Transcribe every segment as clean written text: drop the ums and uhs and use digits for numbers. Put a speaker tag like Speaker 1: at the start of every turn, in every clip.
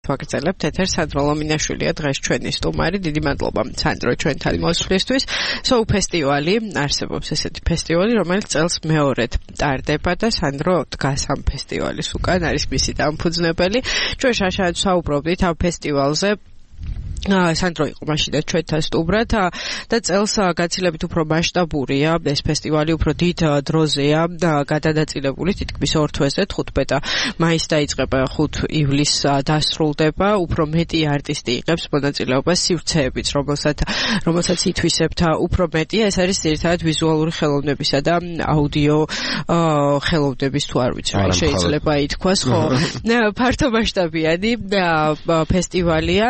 Speaker 1: ვაგრძელებთ ეთერს. სანდრო ლომინაშვილია დღეს ჩვენი სტუმარი. დიდი მადლობა სანდრო ჩვენთან მოსვლისთვის. Soul ფესტივალი არსებობს ესეთი ფესტივალი, რომელიც წელს მეორედ ტარდება და სანდრო დგას ამ ფესტივალის უკან, არის მისი დამფუძნებელი. ჩვენ შაშად საუბრობდით ამ ფესტივალზე. სანდრო იყო მაშინაც ჩვენთან სტუმრად და წელს გაცილებით უფრო მასშტაბურია ეს ფესტივალი, უფრო დიდ დროზეა გადადაწილებული, თითქმის 2 თვეზე 15 მაისს დაიწყება, 5 ივლისს დასრულდება, უფრო მეტი არტისტი იღებს მონაწილეობას, სივრცეებიც, რომელსაც ითვისებთ უფრო მეტია, ეს არის ძირითადად ვიზუალური ხელოვნებისა და აუდიო ხელოვნების, თუ არ ვიცი, შეიძლება ითქვას, ხო, ფართო მასშტაბიანი ფესტივალია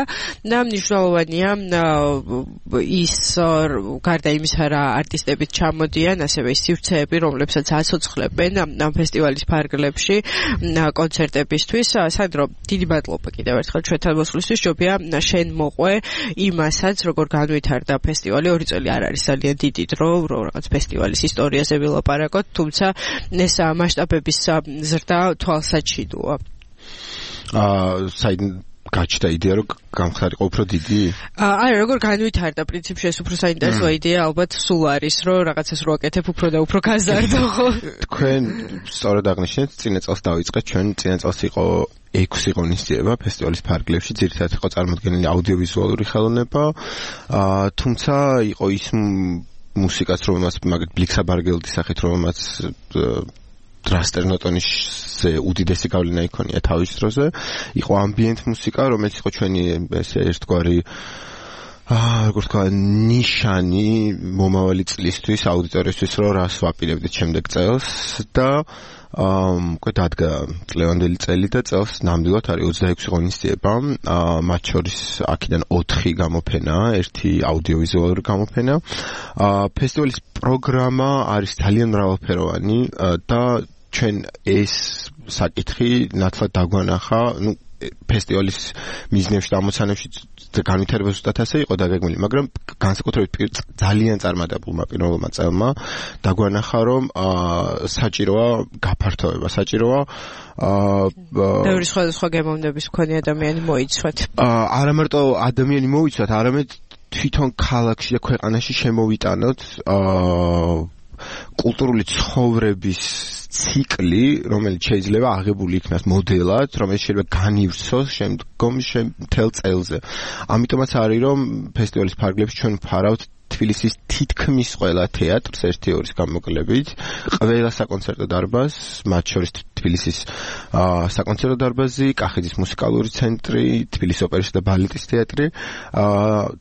Speaker 1: და მნიშვნელოვანია ის გარდა იმისა, რა არტისტებიც ჩამოდიან, ასევე ის სივრცეები, რომლებსაც აცოცხლებენ ამ ფესტივალის ფარგლებში კონცერტებისთვის. სანდრო, დიდი მადლობა კიდევ ერთხელ ჩვენთან მოსვლისთვის. ჯობია შენ მოყვე იმასაც, როგორ განვითარდა ფესტივალი. 2 წელი არ არის ძალიან დიდი დრო, რაღაც ფესტივალის ისტორიაზე ვილაპარაკოთ, თუმცა ეს მასშტაბების ზრდა თვალსაჩინოა.
Speaker 2: გაჩნდა იდეა, რომ გამხდარიყო უფრო დიდი?
Speaker 1: არა, როგორ განვითარდა პრინციპში ეს უფრო საინტერესო იდეა, ალბათ სულ არის, რომ რაღაცას რო აკეთებ უფრო და უფრო გაზარდო, ხო?
Speaker 2: თქვენ სწორად აღნიშნეთ, წინა წელს დავიწყეთ, ჩვენ წინა წელს იყო 6 ღონისძიება ფესტივალის ფარგლებში, ძირითადად იყო წარმოდგენილი აუდიოვიზუალური ხელოვნება, თუმცა იყო ის მუსიკაც, რომელმაც მაგალითად ბლიქსაბარგელდის სახით, რომელმაც დრასტერნოტონის უდიდესი გავლენა იქონია თავის დროზე. იყო ამბიენტ მუსიკა, რომელიც იყო ჩვენი ესე ერთგვარი როგორ თქვა, ნიშანი მომავალი წლისთვის, აუდიტორიისთვის, რომ რას ვაპირებდით შემდეგ წელს და უკვე დადგა წლევანდელი წელი და წელს ნამდვილად არის 26 ღონისძიება, მათ შორის აქედან 4 გამოფენაა, 1 აუდიოვიზუალური გამოფენა. ფესტივალის პროგრამა არის ძალიან მრავალფეროვანი და ჩვენ ეს საკითხი ნათლად დაგვანახა, ფესტივალის მიზნებში და ამოცანებში განვითარება ზუსტად ასე იყო დაგეგმილი, მაგრამ განსაკუთრებით ძალიან წარმატებულმა პირველმა წელმა დაგვანახა, რომ საჭიროა გაფართოება, საჭიროა
Speaker 1: ბევრი სხვადასხვა გემოვნების მქონე ადამიანი მოიცვათ.
Speaker 2: არა მარტო ადამიანი მოიცვათ, არამედ თვითონ ქალაქში და ქვეყანაში შემოვიტანოთ კულტურული ცხოვრების ციკლი, რომელიც შეიძლება აღებული იქნას მოდელად, რომელიც შეიძლება განივსოს შემდგომ მთელ წელზე. ამიტომაც არის, რომ ფესტივალის ფარგლებში ჩვენ ვფარავთ თბილისის თითქმის ყველა თეატრს 1-2 გამოკლებით, ყველა საკონცერტო დარბაზს, მათ შორის თბილისის საკონცერტო დარბაზი, კახეთის მუსიკალური ცენტრი, თბილისის ოპერისა და ბალეტის თეატრი,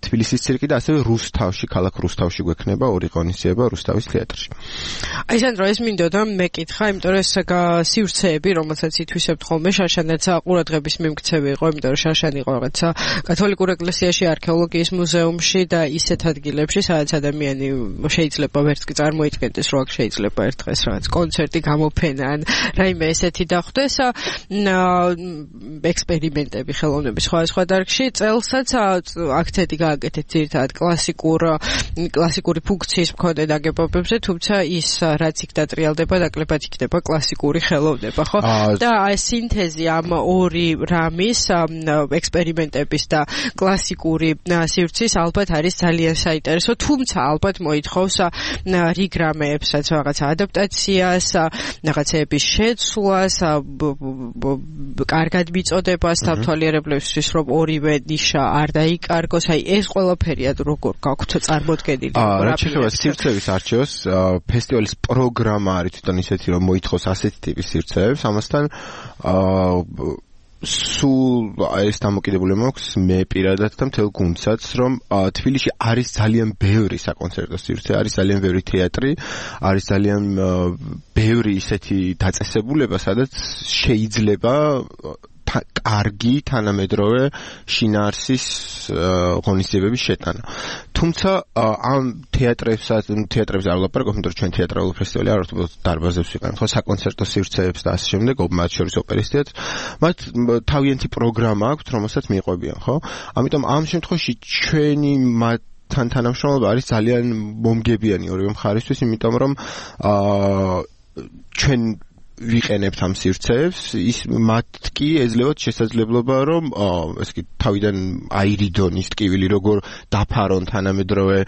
Speaker 2: თბილისის ცირკი და ასევე რუსთავში, ქალაქ რუსთავში გვექნება 2 ღონისძიება რუსთავის თეატრში.
Speaker 1: აი სანდრო, ეს მინდოდა მეკითხა, იმიტომ რომ ეს სივრცეები, რომელსაც ითვისებთ ხოლმე, შაშანაც ყურადღების მიმქცევი იყო, იმიტომ რომ შაშანი იყო რაღაცა კათოლიკურ ეკლესიაში, არქეოლოგიის მუზეუმში და ისეთ ადგილებში, სადაც ადამიანი შეიძლება ვერც კი წარმოიდგენდეს, რომ აქ შეიძლება ერთ დღეს რაღაც კონცერტი გამოფენა ან რაიმე ესეთი დახვდეს, ექსპერიმენტები ხელოვნების სხვადასხვა დარგში. წელსაც აქცენტი გააკეთეთ ძირითადად კლასიკური ფუნქციის მქონე ნაგებობებზე, თუმცა ის რაც იქ დატრიალდება, ნაკლებად იქნება კლასიკური ხელოვნება, ხო? და სინთეზი ამ 2 რამის, ექსპერიმენტების და კლასიკური სივრცის ალბათ არის ძალიან საინტერესო, თუმცა ალბათ მოითხოვს რიგ რამეებსაც, რაღაცა ადაპტაციას, რაღაცეების შეცვლას, კარგად მიწოდებას თავთვალიერებლებისთვის, რომ ორივე ნიშა არ დაიკარგოს. აი ეს ყველაფერია როგორ გაქვთ წარმოდგენილი?
Speaker 2: რა შეიძლება სივრცეების არჩევას, ფესტივალის პროგრამა არის თვითონ ისეთი, რომ მოითხოვს ასეთი ტიპის სივრცეებს, ამასთან სულ ეს დამოკიდებულება მაქვს მე პირადად და მთელ გუნდსაც, რომ თბილისში არის ძალიან ბევრი საკონცერტო სივრცე, არის ძალიან ბევრი თეატრი, არის ძალიან ბევრი ისეთი დაწესებულება, სადაც შეიძლება კარგი თანამედროვე შინაარსის ღონისძიებების შეტანა. თუმცა ამ თეატრებს არ ვლაპარაკობ, იმიტომ რომ ჩვენ თეატრალური ფესტივალი არ ვართ, დარბაზებს ვიყენებთ, ხო, საკონცერტო სივრცეებს და ასე შემდეგ, მათ შორის ოპერის თეატრს, მათ თავიანთი პროგრამა აქვთ, რომელსაც მიყვებიან, ხო? ამიტომ ამ შემთხვევაში ჩვენი თან თანამშრომლობა არის ძალიან მომგებიანი ორივე მხარისთვის, იმიტომ რომ ჩვენ ვიყენებთ ამ სივრცეებს, ის მათ კი ეძლებათ შესაძლებლობა, რომ ესე იგი თავიდან აირიდონ ის ტკივილი, როგორ დაფარონ თანამედროვე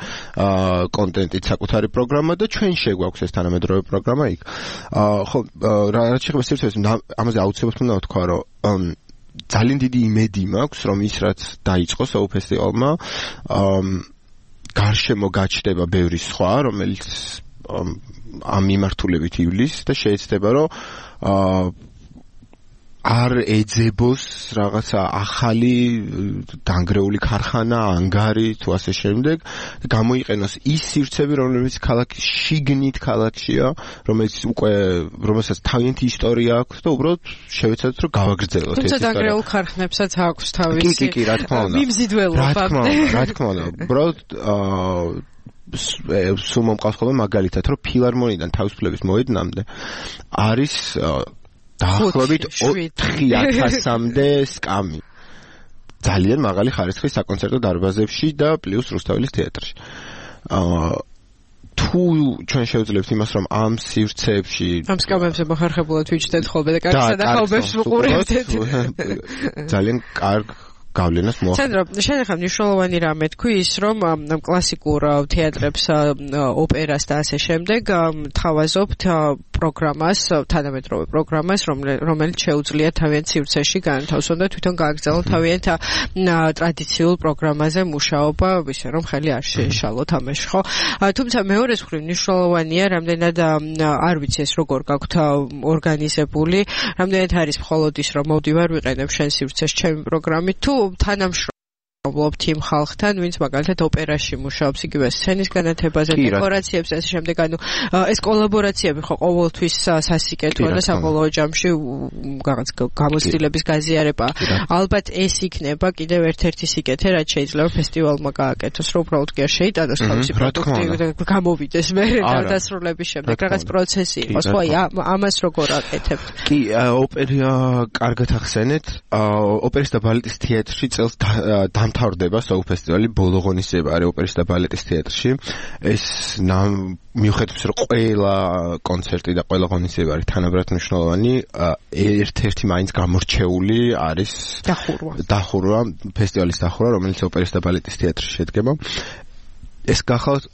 Speaker 2: კონტენტით საკუთარი პროგრამა და ჩვენ შეგვაქვს ეს თანამედროვე პროგრამა იქ. ხო, რაც შეეხება სივრცეებს, ამაზე აუცილებლად უნდა ვთქვა, რომ ძალიან დიდი იმედი მაქვს, რომ ის რაც დაიწყო SOU ფესტივალმა, გარშემო გაჩნდება ბევრი სხვა, რომელიც ამ მიმართულებით ივლის და შეეცდება, რომ არ ეძებოს რაღაცა ახალი დანგრეული ქარხანა, ანგარი თუ ასე შემდეგ, გამოიყენოს ის სივრცეები, რომლებიც ქალაქის შიგნით ქალაქშია, რომელსაც თავიანთი ისტორია აქვს და უბრალოდ შევეცადოთ, რომ გავაგრძელოთ ეს ისტორია.
Speaker 1: თუმცა დანგრეულ ქარხნებსაც აქვს თავისი
Speaker 2: კი, რა თქმა უნდა.
Speaker 1: მიმზიდველობა.
Speaker 2: რა თქმა უნდა. უბრალოდ სულ მომყავს ხოლმე მაგალითად, რომ ფილარმონიდან თავისუფლების მოედნამდე არის დაახლოებით 4000-მდე სკამი. ძალიან მაღალი ხარისხის საკონცერტო დარბაზებში და პლუს რუსთაველის თეატრში. თუ ჩვენ შევძლებთ იმას, რომ ამ სივრცეებში
Speaker 1: ამ სკამებზე მოხერხებულად ვიჩნდეთ ხოლმე და კარგ სადახაობებს ვუყურებდეთ.
Speaker 2: ძალიან კარგ გავლენას მოახდინა.
Speaker 1: სანდრო, შენ ახლა მნიშვნელოვანი რამე თქვი ის, რომ ამ კლასიკურ თეატრებს, ოპერას და ასე შემდეგ თავაზობთ პროგრამას, თანამედროვე პროგრამას, რომელიც შეუძლია თავიანთ სივრცეში განთავსონ და თვითონ გააგრძელონ თავიანთ ტრადიციულ პროგრამაზე მუშაობა, ისე რომ ხელი არ შეეშალოთ ამაში, ხო? თუმცა მეორეს მხრივ მნიშვნელოვანია, რამდენად არ ვიცი ეს როგორ გაქვთ ორგანიზებული, რამდენად არის მხოლოდ ის, რომ მოვდივარ ვიყენებ შენ სივრცეს ჩემი პროგრამით, თუ თანამშრომლობთ იმ ხალხთან, ვინც მაგალითად ოპერაში მუშაობს, იგივე სცენის განათებაზე, დეკორაციებს და ასე შემდეგ, ანუ ეს კოლაბორაციები ხო ყოველთვის სასიკეთოა და საბოლოო ჯამში რაღაც გამოცდილების გაზიარება. ალბათ ეს იქნება კიდევ ერთ-ერთი სიკეთე, რაც შეიძლება ფესტივალმა გააკეთოს, რომ უბრალოდ კი არ შეიტანოს თავისი პროდუქტი და გამოვიდეს მერე დასრულების შემდეგ, რაღაც პროცესი იყოს. ხო, ამას როგორ აკეთებთ?
Speaker 2: კი, ოპერა კარგად ახსენეთ. ოპერის და ბალეტის თეატრში წელს დამთავრდება SOU ფესტივალი, ბოლო ღონისძიება არის ოპერის და ბალეტის თეატრში. ეს მიუხედავად რომ ყველა კონცერტი და ყველა ღონისძიება არის თანაბრად მნიშვნელოვანი, ერთ-ერთი მაინც გამორჩეული არის დახურვა, ფესტივალის დახურვა, რომელიც ოპერის და ბალეტის თეატრში შედგება. ეს გახავთ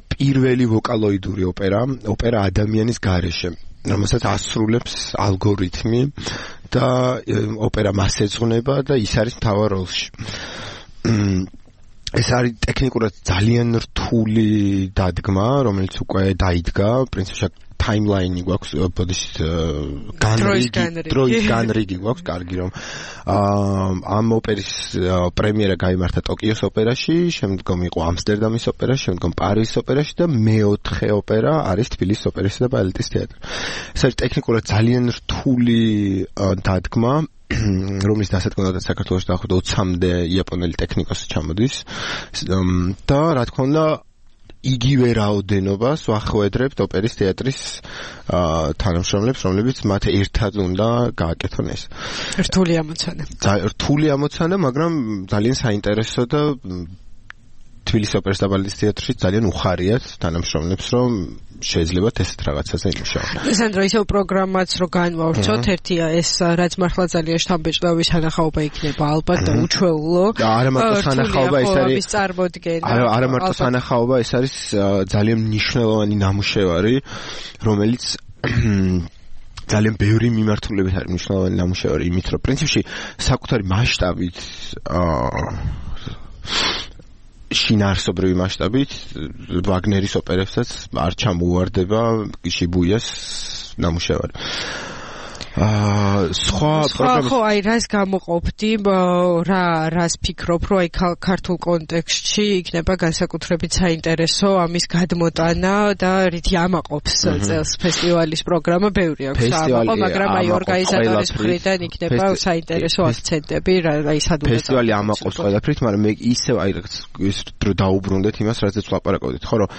Speaker 2: პირველი ვოკალოიდური ოპერა ადამიანის გარეშე, რომელსაც ასრულებს ალგორითმი და ოპერა მას ეძღვნება და ის არის მთავარ როლში. ეს არის ტექნიკურად ძალიან რთული დადგმა, რომელიც უკვე დაიდგა, პრინციპში timeline-ი გვაქვს, ბოდიშით დროის განრიგი გვაქვს, კარგი რომ ამ ოპერის პრემიერა გაიმართა ტოკიოს ოპერაში, შემდგომ იყო ამსტერდამის ოპერაში, შემდგომ პარიზის ოპერაში და მეოთხე ოპერა არის თბილისის ოპერისა და ბალეტის თეატრი. ეს არის ტექნიკურად ძალიან რთული დადგმა, რომლის დასაწყნელად საქართველოში დაახლოებით 20-მდე იაპონელი ტექნიკოსი ჩამოდის და რა თქმა უნდა იგივე რაოდენობას ვახვედრებთ ოპერის თეატრის თანამშრომლებს, რომლებიც მათ ერთად უნდა გააკეთონ ეს.
Speaker 1: რთული
Speaker 2: ამოცანა, მაგრამ ძალიან საინტერესო და თბილისის ოპერის და ბალეტის თეატრში ძალიან უხარიათ თანამშრომლებს, რომ შეიძლებათ ესეთ რაღაცაზე იმუშაონ.
Speaker 1: სანდრო, ისევ პროგრამაც რო განვავრცოთ, ერთია ეს რაც მართლა ძალიან შთამბეჭდავი სანახაობა იქნება ალბათ და უჩვეულო.
Speaker 2: არა მარტო სანახაობა, ეს არის
Speaker 1: წარმოდგენა.
Speaker 2: არა მარტო სანახაობა, ეს არის ძალიან მნიშვნელოვანი ნამუშევარი, რომელიც ძალიან ბევრი მიმართულებით არის მნიშვნელოვანი ნამუშევარი, იმით რომ პრინციპში საკუთარი მასშტაბით შინაარსობრივი მასშტაბით ვაგნერის ოპერებსაც არ ჩამოუვარდება შიბუიას ნამუშევარი. სხვა პროგრამის
Speaker 1: ხო, აი რას გამოყოფდი, რას ფიქრობ, რომ აი ქართულ კონტექსტში იქნება განსაკუთრებით საინტერესო ამის გადმოტანა და რითი ამაყობს წელს ფესტივალის პროგრამა, ბევრი აქვს ამაყო, მაგრამ აი ორგანიზატორის მხრიდან იქნება საინტერესო აქცენტები, აი სადღაც
Speaker 2: ფესტივალი ამაყობს ყველაფრით, მაგრამ მე ისევ აი ის დრო დაუბრუნდეთ იმას, რაზეც ვლაპარაკობდით, ხო, რომ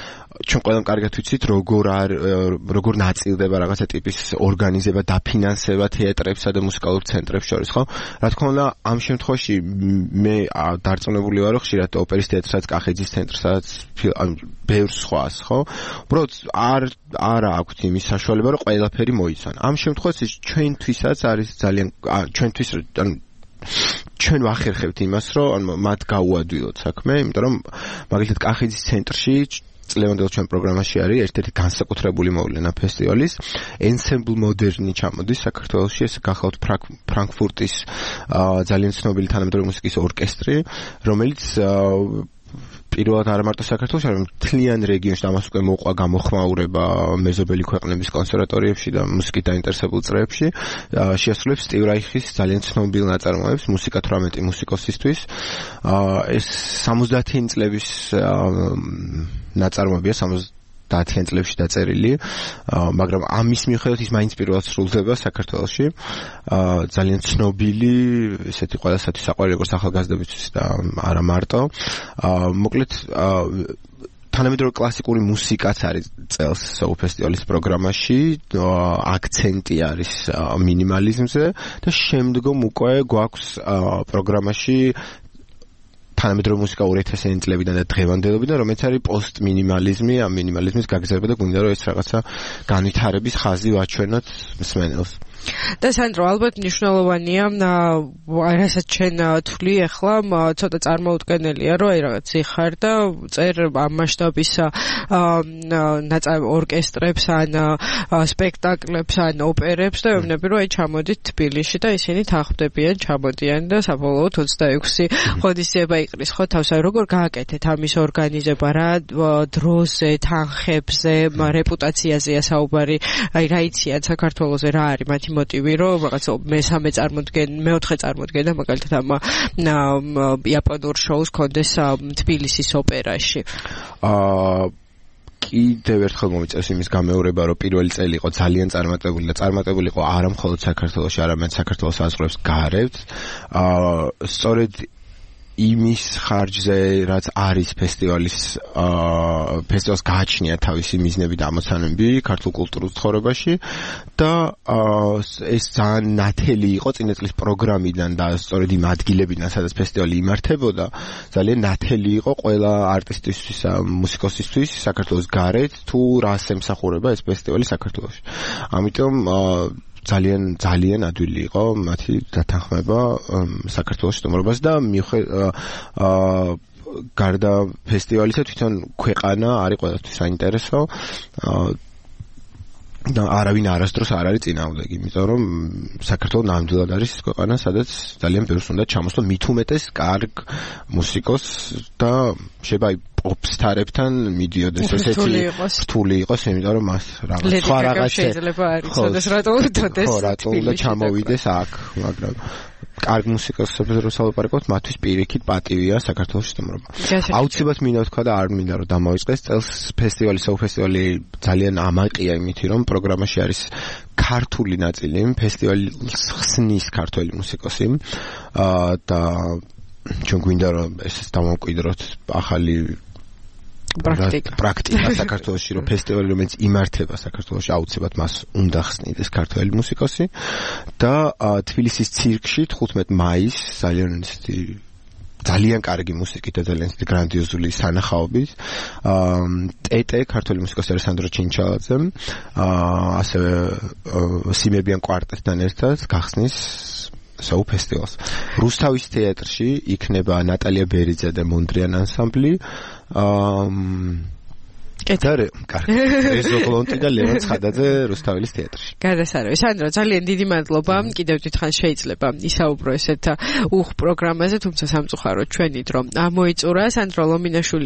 Speaker 2: ჩვენ ყველამ კარგად ვიცით, როგორ ნაწილდება რაღაცა ტიპის ორგანიზება და ფინანსება განთავსება თეატრებსა და მუსიკალურ ცენტრებს შორის, ხო? რა თქმა უნდა, ამ შემთხვევაში მე დარწმუნებული ვარო, ხშირად ოპერის თეატრსაც, კახეთის ცენტრსაც, ბევრ სხვას, ხო? უბრალოდ არ აქვს იმის საშუალება, რომ ყველაფერი მოიცან. ამ შემთხვევაში ჩვენთვისაც არის ძალიან ჩვენთვის ჩვენ ვახერხებთ იმას, რომ მათ გაუადვილოთ საქმე, იმიტომ რომ მაგალითად კახეთის ცენტრში წლევანდელ ჩვენ პროგრამაში არის ერთ-ერთი განსაკუთრებული მოვლენა ფესტივალის Ensemble Modern ჩამოდის საქართველოში, ეს გახლავთ ფრანკფურტის ძალიან ცნობილი თანამედროვე მუსიკის ორკესტრი, რომელიც პირველად არ მარტო საქართველოში, არამედ მთლიან რეგიონში და ამას უკვე მოყვა გამოხმაურება მეზობელი ქვეყნების კონსერვატორიებში და მუსიკით დაინტერესებულ წრეებში, შეასრულებს სტივ რაიხის ძალიან ცნობილ ნაწარმოებს მუსიკა 18 მუსიკოსისთვის. ეს 70-იანი წლების ნაწარმოებია, 70-იან წლებში დაწერილი, მაგრამ ამის მიუხედავად ის მაინც პირველად სრულდება საქართველოში. ძალიან ცნობილი, ესეთი ყველასათვის საყვარელი როგორც ახალგაზრდებისთვის და არა მარტო. მოკლედ თანამედროვე კლასიკური მუსიკაც არის წელს SOU ფესტივალის პროგრამაში, აქცენტი არის მინიმალიზმზე და შემდგომ უკვე გვაქვს პროგრამაში თანამედროვე მუსიკა 2000-იანი წლებიდან და დღევანდელობიდან, რომელიც არის პოსტ-მინიმალიზმი, ამ მინიმალიზმის გაგრძელება და გვინდა რომ ეს რაღაცა განვითარების ხაზი ვაჩვენოთ მსმენელს.
Speaker 1: და სანდრო, ალბათ მნიშვნელოვანია, რასაც ჩვენ თვლი ახლა, ცოტა წარმოუდგენელია, რომ აი რაღაც იხარ და წერ ამ მასშტაბის ორკესტრებს, ან სპექტაკლებს, ან ოპერებს და ვემნები, რომ აი ჩამოდით თბილისში და ისინი თანხმდებიან, ჩამოდიან და საბოლოოდ 26 ღონისძიება იყრის, ხო, თავს აი როგორ გააკეთეთ ამის ორგანიზება, რა დროზე, თანხებზე, რეპუტაციაზეა საუბარი, აი რა იციან საქართველოზე, რა არის მათი მოტივი, რომ რაღაც მეოთხე წარმოდგენა მაგალითად ამ იაპონურ შოუს კონდეს თბილისის ოპერაში. კიდევ ერთხელ მომიწევს იმის გამეორება, რომ პირველი წელი იყო ძალიან წარმატებული და წარმატებული იყო არა მხოლოდ საქართველოში, არამედ საქართველოს საზღვრებს გარეთ. სწორედ იმის ხარჯზე, რაც არის ფესტივალს გააჩნია თავისი მიზნები და ამოცანები ქართულ კულტურულ ცხოვრებაში და ეს ძალიან ნათელი იყო წინა წლის პროგრამიდან და სწორედ იმ ადგილებიდან, სადაც ფესტივალი იმართებოდა, ძალიან ნათელი იყო ყველა არტისტისთვის, მუსიკოსისთვის საქართველოს გარეთ, თუ რას ემსახურება ეს ფესტივალი საქართველოში. ამიტომ ძალიან ადვილი იყო მათი დათანხმება საქართველოს სტუმრობას და გარდა ფესტივალისა თვითონ ქვეყანა არის ყველასთვის საინტერესო და არავინ არასდროს არ არის წინააღმდეგი, იმიტომ რომ საქართველო ნამდვილად არის ის ქვეყანა, სადაც ძალიან ბევრს უნდა ჩამოსვლო, მით უმეტეს კარგ მუსიკოს და შეიძლება პოპსტარებთან მიდიოდეს ესეთი რთული იყოს, იმიტომ რომ მას სხვა რაღაც შეიძლება არ იცოდეს რატო უთოდეს.
Speaker 2: ხო, რატო უნდა ჩამოვიდეს აქ, მაგრამ კარგ მუსიკოსებს რო სალაპარაკოთ, მათთვის პირიქით პატივია საქართველოს სტუმრობა. აუცილებლად მინდა ვთქვა და არ მინდა რომ დამოიწყეს წელს ფესტივალი, SOU ფესტივალი ძალიან ამაყია იმით, რომ პროგრამაში არის ქართული ნაწილი, ფესტივალს ხსნის ქართველი მუსიკოსი და ჩვენ გვინდა რომ ეს დამოვკვიდროთ ახალი პრაქტიკა საქართველოში, რომ ფესტივალი რომელიც იმართება საქართველოში, აუცილებლად მას უნდა ხსნიდეს ქართველი მუსიკოსი და თბილისის ცირკში 15 მაისს ძალიან კარგი მუსიკით და ძალიან გრანდიოზული სანახაობით ტეტე ქართველი მუსიკოსი ალესანდრო ჩინჩალაძე ასევე სიმებიან კვარტეტთან ერთად გახსნის SOU ფესტივალს. რუსთავის თეატრში იქნება ნატალია ბერიძე და მონდრიან ანსამბლი. კარგი. რეზოლონტი და ლევან ცხადაძე რუსთავის თეატრში.
Speaker 1: გადასარევი. სანდრო, ძალიან დიდი მადლობა. კიდევ დიდხან შეიძლება ისაუბრო ესეთ უხ პროგრამაზე, თუმცა სამწუხაროდ ჩვენი დრო ამოიწურა. სანდრო ლომინაშვილი